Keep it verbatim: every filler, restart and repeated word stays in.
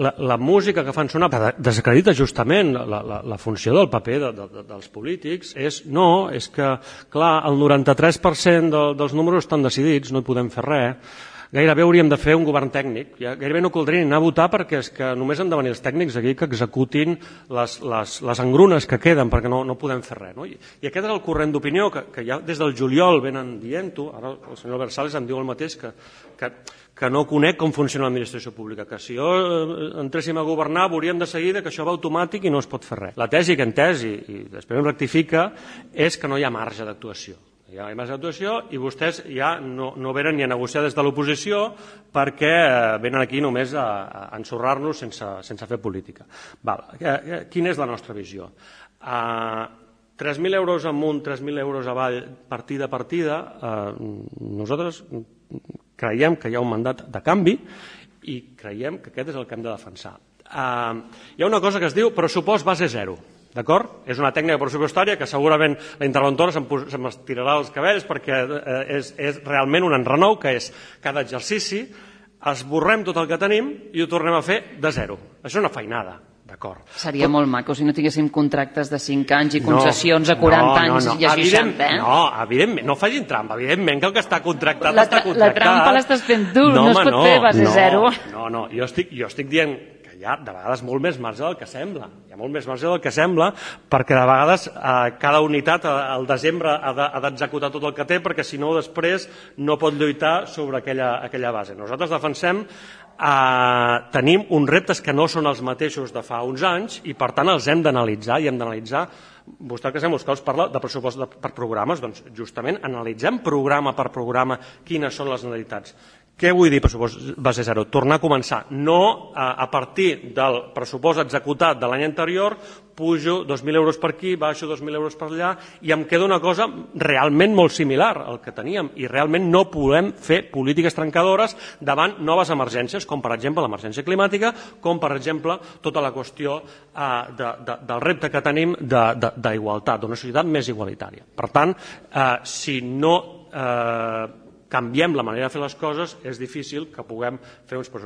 la, la música que fan sonar desacredita justament la, la, la funció del paper de, de, dels polítics. És, no, és que, clar, el noranta-tres per cent de, dels números estan decidits, no hi podem fer res. Gairebé hauríem de fer un govern tècnic. Ja, gairebé no caldria anar a votar perquè és que només han de venir els tècnics aquí que executin les, les, les engrunes que queden, perquè no, no podem fer res. No? I, I aquest és el corrent d'opinió que, que ja des del juliol venen dient-ho. Ara el senyor Versales em diu el mateix, que, que, que no conec com funciona l'administració pública, que si jo entréssim a governar veuríem de seguida que això va automàtic i no es pot fer res. La tesi que en tesi, i després em rectifica, és que no hi ha marge d'actuació. Hi ha més actuació i vostès ja no, no venen ni a negociar des de l'oposició perquè venen aquí només a, a ensorrar-nos sense, sense fer política. Val. Quina és la nostra visió? Uh, tres mil euros amunt, tres mil euros avall, partida a partida, uh, nosaltres creiem que hi ha un mandat de canvi i creiem que aquest és el que hem de defensar. Uh, hi ha una cosa que es diu pressupost base zero. D'acord? És una tècnica pressupostària que segurament la interventora se'm estirarà els cabells perquè és, és realment un enrenou, que és cada exercici esborrem tot el que tenim i ho tornem a fer de zero. Això és una feinada. D'acord. Seria Però... molt maco si no tinguéssim contractes de cinc anys i concessions no, a quaranta no, no, no. anys i a seixanta, eh? No, evidentment, no facin trampa. Evidentment que el que està contractat la, està contractat. La trampa l'estàs fent tu, no, no es pot no, fer base no, zero. No, no, jo estic, jo estic dient que hi ha de vegades molt més marge del que sembla. Hi ha molt més marge del que sembla perquè de vegades eh, cada unitat al desembre ha d'executar tot el que té perquè si no després no pot lluitar sobre aquella, aquella base. Nosaltres defensem Uh, tenim uns reptes que no són els mateixos de fa uns anys i per tant els hem d'analitzar i hem d'analitzar. Vostè que sembla que us parla de pressupost de, per programes, doncs justament analitzem programa per programa quines són les necessitats. Què vull dir pressupost base zero? Tornar a començar. No a, a partir del pressupost executat de l'any anterior pujo dos mil euros per aquí, baixo dos mil euros per allà i em queda una cosa realment molt similar al que teníem i realment no podem fer polítiques trencadores davant noves emergències com per exemple l'emergència climàtica, com per exemple tota la qüestió eh, de, de, del repte que tenim d'igualtat, d'una societat més igualitària. Per tant, eh, si no eh, canviem la manera de fer les coses és difícil que puguem fer uns pressupostos.